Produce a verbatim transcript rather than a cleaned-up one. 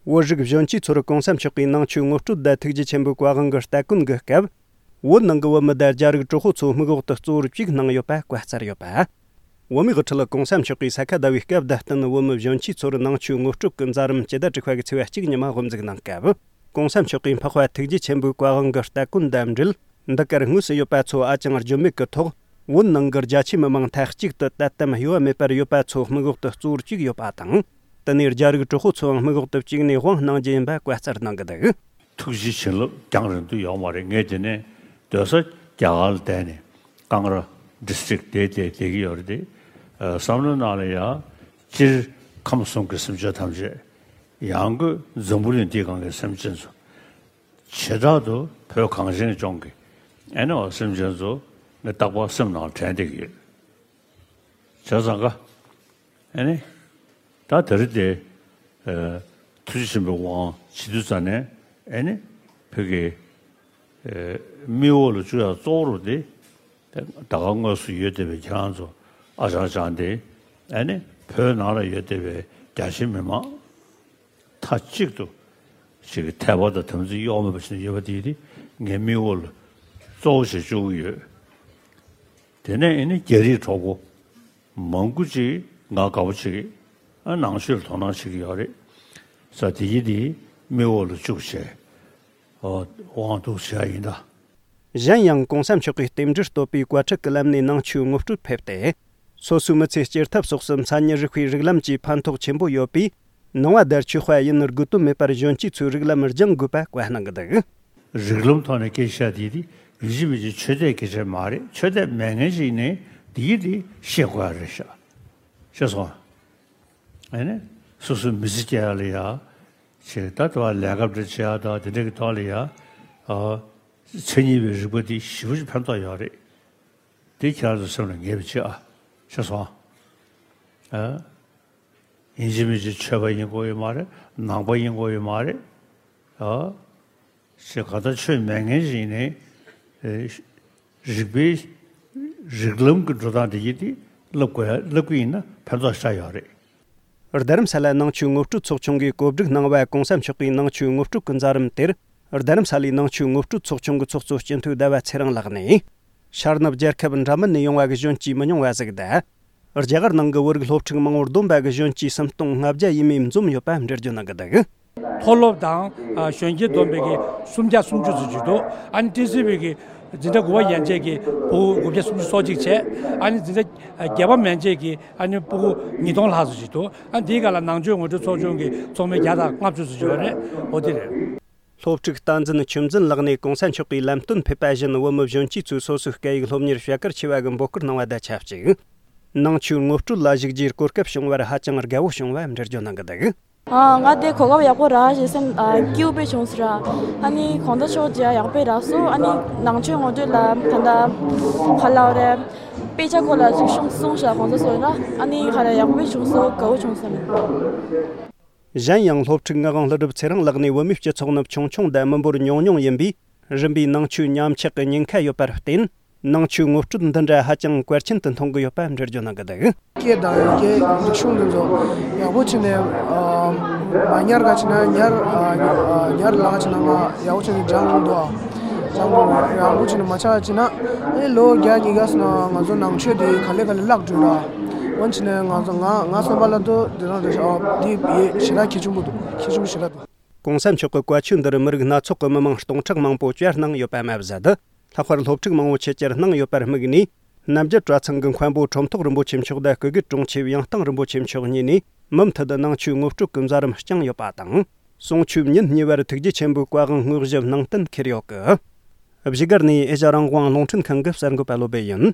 བོད་རིགས་གཞོན་སྐྱེས་ཚོར་གོང་ས་མཆོག་གིས་ནང་ཆོས་ངོ་སྤྲོད་དང་ཐུགས་རྗེ་ཆེན་པོའི་བཀའ་དབང་གི་སྟ་གོན་གྱི་སྐབས། བོད་ནང་གི་བོད་མི་དང་རྒྱ་རིགས་གྲོགས་པོ་ཚོ་དམིགས་འོག་ཏུ་གཙོ་བོར་བཅུག་གནང་ཡོད་པ་བཀའ་སྩལ་ཡོད་པ། བོད་མིའི་དབུ་ཁྲིད་གོང་ས་མཆོག་གིས་ས་ག་ཟླ་བའི་སྐབས་དང་བསྟུན་བོད་མི་གཞོན་སྐྱེས་ཚོར་ནང་ཆོས་ངོ་སྤྲོད་ཀྱི་མཛད་རིམ་སྤྱི་ཟླ་དྲུག་པ་གི་ཚེས་པ་གཅིག་ཉི་མ་དབུ་འཛུགས་གནང་སྐབས། གོང་ས་མཆོག་གིས་འཕགས་པ་ཐུགས་རྗེ་ཆེན་པོའི་བཀའ་དབང་གི་སྟ་གོན་དང་འབྲེལ། འདི་གར་དངོས་སུ་ཡོད་པ་ཚོ་ཨ་ཅང་བརྗོད་མེད་ཀྱི་ཐོག་བོད་ནང་གི་རྒྱ་ཆེའི་མི་མང་མཐའ་གཅིག་ཏུ་དད་དམ་གཡོ་བ་མེད་པར་ཡོད་པ་ཚོ་དམིགས་འོག་ཏུ་གཙོ་བོར་བཅུག་ཡོད་པ་དང་། དེ་ནས་རྒྱ་རིགས་གྲོགས་པོ་ཚོའང་དམིགས་འོག་ཏུ་བཅུག་ནས་དབང་གནང་རྒྱུ་ཡིན་པ་བཀའ་སྩལ་གནང་གི་འདུག། ཐུགས་རྗེ་བྱིན་རླབས་རྒྱང་རིང་དུ་ཡོང་བ་རེད། ངས་དེ་ནས་སྡོད་ས་རྒྱ་གར་ལ་བསྡད་ནས་ཀང་ར་ཌི་སི་ཊིག་དེ་དེ་བསྡད་ཀྱི་ཡོད་རེད་དེ། བསམ་བློའི་ནང་ལ་ཡང་སྤྱིར་ཁམས་གསུམ་གྱི་སེམས་ཅན་ཐམས་ཅད། ཡང་སྒོས་འཛམ་བུ་གླིང་འདིའི་སྒང་གི་སེམས་ཅན་ཚོ། བྱེ་བྲག་ཏུ་བོད་གངས་ཅན་ལྗོངས་ཀྱི་ཨེ་ནི་བ་སེམས་ཅན་ཚོ་ངས་རྟག་པར་སེམས་ནང་དྲན་བསྡད་ཀྱི་ཡོད། བྱས་ཙང་ཀ་ཨེ་ནི་ད་དེ་རིང་དེ་ཨ་ཐུགས་རྗེ་ཆེན་པོའི་དབང་བྱེད་དུས་ཙ་ནས་ཨེ་ནི་བོད་ཀྱི་ཨ་མིག་འོག་ལ་བཅུག་ཡག་གཙོ་བོ་རུ་དེ་ད་ག་དངོས་སུ་ཡོད་བསྡད་པའི་ཁྱེད་རང་ཚོ་ཨ་ཅང་ཅང་དེ་ཨེ་ནི་བོད་ནང་ལ་ཡོད་བསྡད་པའི་རྒྱ་ཆེའི་མི་མང་མཐའ་གཅིག་ཏུ་ཞིག་གི་དད་པ་དང་དམ་ཚིག་གཡོ་མེད་པ་ཞིག་ཡོད་པ་དེ་དེ་ངའི་མིག་འོག་ལ་གཙོ་བོ་ཞིག་བཅུག་གི་ཡོད། དེ་ནས་ཨེ་ནི་རྒྱ་རིགས་གྲོགས་པོ་མང་པོ་ཅིག་ང་དགའ་པོ་བྱེད་ཀྱི། ཨ་ནང་ཆོས་ལ་དོ་སྣང་བྱེད་ཀྱི་ཡོད་རེད། ས་དེ་ཡི་དེ་མིག་འོག་ལ་བཅུག་བྱས་ཨོ་དབང་འདུག་བྱས་ཡིན་ད། གཞན་ཡང་གོང་ས་མཆོག་གིས་རྟེན་འབྲེལ་བསྟོད་པའི་བཀའ་ཁྲིད་ཀྱི་ལམ་ནས་ནང་ཆོས་ངོ་སྤྲོད་ཕེབས་ཏེ། སོ་སོའི་མི་ཚེ་སྐྱེལ་ཐབས་སོགས་སུ་མཚན་ཉིད་རིག་པའི་རིགས་ལམ་གྱི་ཕན་ཐོགས་ཆེན་པོ་ཡོད་པས། ནང་པ་དང་ཆོས་པ་ཡིན་དགོས་དོན་མེད་པར་གཞོན་སྐྱེས་ཚོའི་རིགས་ལམ་སྦྱང་དགོས་པ་བཀའ་གནང་གི་འདུག། རིགས་ལམ་ཐོག་ནས་སྐད་ཆ་དེ་དེ་ཡིན་གཅིག་མིན་གཅིག་ཆོས་དད་སྐད་ཆ་མ་རེད། ཆོས་དད་མེད་མཁན་ཞིག་ནས་དེ་ཡི་དེ་ཤེས་དགོས་ཡ་རེད་ཤག། ཤེས་སོང་། ཨ་ནི་སོ་སོའི་མི་ཚེ་སྐྱེལ་ཡ་ལ་ཡ་ཆེ་ད་དུ་བ་ལས་ཀ་འདྲ་བྱེད་ཡ་ད་དེ་འདྲ་གི་ཐོག་ལ་ཡ་ཨ་མཚན་ཉིད་པའི་རིག་པ་དེ་ཞེ་པོ་ཅིག་ཕན་ཐོགས་ཡོད་རེད། དེ་ཁྱེད་རང་ཚོ་སེམས་ལ་ངེས་པ་བྱེད་ཨ། ཤེས་སོང་། ཨ། ཡིན་གཅིག་མིན་གཅིག་ཆོས་པ་ཡིན་དགོས་ཡོད་མ་རེད། ནང་པ་ཡིན་དགོས་ཡོད་མ་རེད། ཨ། ཞེས་ག་ད་ཆོས་མེད་མཁན་ཞིག་ནས་ཨེ་རིག་པའི་རིགས་ལམ་གྱི་འགྲོ་སྟངས་དེ་ཡིན་དེ་བསླབ་དགོས་ཡ་བསླབ་ཀྱི་ཡིན་ན་ཕན་ཐོགས་ཤ་ཡོད་རེད། རྡ་རམ་ས་ལ་ནང་ཆོས་ངོ་སྤྲོད་ཚོགས་ཆུང་གིས་གོ་སྒྲིག་གནང་བ་གོང་ས་མཆོག་གིས་ནང་ཆོས་ངོ་སྤྲོད་ཀྱི་མཛད་རིམ་དེར། རྡ་རམ་ས་ལའི་ནང་ཆོས་ངོ་སྤྲོད་ཚོགས་ཆུང་གི་ཚོགས་གཙོ་སྤྱི་འཐུས་ཟླ་བ་ཚེ་རིང་ལགས་ནས། ཤར་ནུབ་རྒྱལ་ཁབ་འདྲ་མིན་ནས་ཡོང་བ་གི་གཞོན་སྐྱེས་མི་ཉུང་བ་ཟིག་དང་། རྒྱ་གར་ནང་གི་བོད་རིགས་སློབ་ཕྲུག་མང་བོར་བསྡོམས་པ་གི་གཞོན་སྐྱེས་སུམ་སྟོང་ལྔ་བརྒྱ་ཡས་མས་འཛོམས་ཡོད་པ་འགྲེལ་བརྗོད་གནང་གི་འདུག། མཐོ་སློབ་དང་གཞོན་སྐྱེས་བསྡོམས་པའི་གི་སུམ་བརྒྱ་སུམ་ཅུ་ཙམ་ཅིག་འདུག། ཨ་ནི་ཊི་སི་བི་གི་འཛིན་གྲྭ་དགུ་པ་ཡན་ཆད་ཀྱི་ཕྲུ་གུ་དགུ་བརྒྱ་སུམ་ཅུ་སོ་གཅིག་བྱས། ཨ་ནི་འཛིན་གྲྭ་བརྒྱད་པ་མན་ཆད་ཀྱི་ཨ་ནི་ཕྲུ་གུ་ཉིས་སྟོང་ལྷག་ཙམ་ཅིག་འདུག། ཨ་ནི་དེའི་སྒང་ལ་ནང་ཆོས་ངོ་སྤྲོད་ཚོགས་ཆུང་གི་ཚོགས་མི་བརྒྱ་དང་ལྔ་བཅུ་ཙམ་ཅིག་ཡོད་རེད། འོ་དེ་རེད། སློབ་ཕྲུག་བསྟན་འཛིན་ཆོས་འཛིན་ལགས་ནས་གོང་ས་མཆོག་གིས་ལམ་སྟོན་ཕེབས་པ་བཞིན་བོད་མི་གཞོན་སྐྱེས་ཚོས་སོ་སོའི་སྐད་ཡིག་སློབ་གཉེར་བྱ་གལ་ཆེ་བ་གི་འབོད་སྐུལ་གནང་བ་དང་ཆབས་ཅིག། ནང་ཆོས་ངོ་སྤྲོད་ལ་ཞུགས་རྒྱུའི་གོ་སྐབས་བྱུང་བར་ཧ་ཅང་དགའ་བོ་བྱུང་བ་འགྲེལ་བརྗོད་གནང་གི་འདུག། ཨ། ང་དེ་གོ་སྐབས་ཡག་པོ་རག་ཞེས་སེམས་ཨ་སྐྱིད་པོ་བྱུང་ཟེར། ཨ་ནི་གོང་ས་མཆོག་མཇལ་ཡག་པོ་རག་སོང་། ཨ་ནི་ནང་ཆོས་ངོ་སྤྲོད་ལ་ད་ལྟ་ག་ལབ་རེད། དཔེ་ཆ་སྐོར་ལ་ཅིག་གསུངས་གསུངས་ཤག་གོང་ས་མཆོག་ལ། ཨ་ནི་ག་རེ་ཡག་པོ་བྱུང་སོང་། དགའ་བོ་བྱུང་སོང་། གཞན་ཡང་སློབ་ཕྲུག་ངག་དབང་ཀླུ་སྒྲུབ་ཚེ་རིང་ལགས་ནས་བོད་མིའི་སྤྱི་ཚོགས་ནི་ཆུང་ཆུང་དང་མི་འབོར་ཉུང་ཉུང་ཡིན་པས། རིམ་པས་ནང་ཆོས་ཉམས་ཆག་གི་ཉེན་ཁ་ཡོད་པར་བརྟེན། ནང་ཆོས་ངོ་སྤྲོད་འདི་འདྲ་ཧ་ཅང་གལ་ཆེན་དུ་མཐོང་གི་ཡོད་པ་འགྲེལ་བརྗོད་གནང་གི་འདུག། སྐད་དང་ཡི་གེ་རིག་གཞུང་འདི་ཚོ་ཡག་པོ་བྱས་ནས་ཨ་མ་ཉར་ག་བྱས་ན་ཉར་ཨ་ཉར་ལ་ག་བྱས་ན་ང་ཡག་པོ་བྱས་ནས་སྦྱང་དགོས་འདུག། ཨ་སྦྱང་དགོས་རེད། ཡག་པོ་བྱས་ནས་མ་ཆགས་བྱས་ན་ཨེ་ལོ་བརྒྱ་ཉིས་བརྒྱ་སོང་ན་ང་ཚོ་ནང་ཆོས་འདི་ག་ལེ་ག་ལེ་བརླག་འགྲོ་ར། འོན་བྱས་ནས་ང་ཚོ་ང་ང་བསམ་པ་ལ་ཏོ་འདི་རང་རེད་ཤག། ཨ་འདི་ཞེ་དྲག་གལ་ཆེན་པོ་འདུག། གལ་ཆེན་པོ་ཞེ་དྲག་འདུག། གོང་ས་མཆོག་གི་བཀའ་ཆོས་འདིར་མི་རིགས་སྣ་ཚོགས་ཀྱི་མི་མང་སྟོང་ཕྲག་མང་པོ་བཅར་གནང་ཡོད་པ་མ་ཟད། ལྷག་པར་སློབ་ཕྲུག་མང་པོ་ཆེད་བཅར་གནང་ཡོད་པར་དམིགས་ནས། རྣམ་རྒྱལ་གྲྭ་ཚང་གི་མཁན་པོ་ཁྲོམ་ཐོག་རིན་པོ་ཆེ་མཆོག་དང་སྐུ་སྒེར་དྲུང་ཆེ་ཡང་སྟེང་རིན་པོ་ཆེ་མཆོག་གཉིས་ནས་མུ་མཐུད་ནང་ཆོས་ངོ་སྤྲོད་ཀྱི་མཛད་རིམ་བསྐྱངས་ཡོད་པ་དང་། གསུང་ཆོས་ཉིན་གཉིས་པར་ཐུགས་རྗེ་ཆེན་པོའི་བཀའ་དབང་དངོས་གཞི་ནང་བསྟན་འཁྱེར་ཡོད་ཀི། བཞུགས་སྒར་ནས་ཨེ་ཤ་རང་དབང་རླུང་འཕྲིན་ཁང་གི་གསར་འགོད་པ་བློ་སྦེ་ཡིན།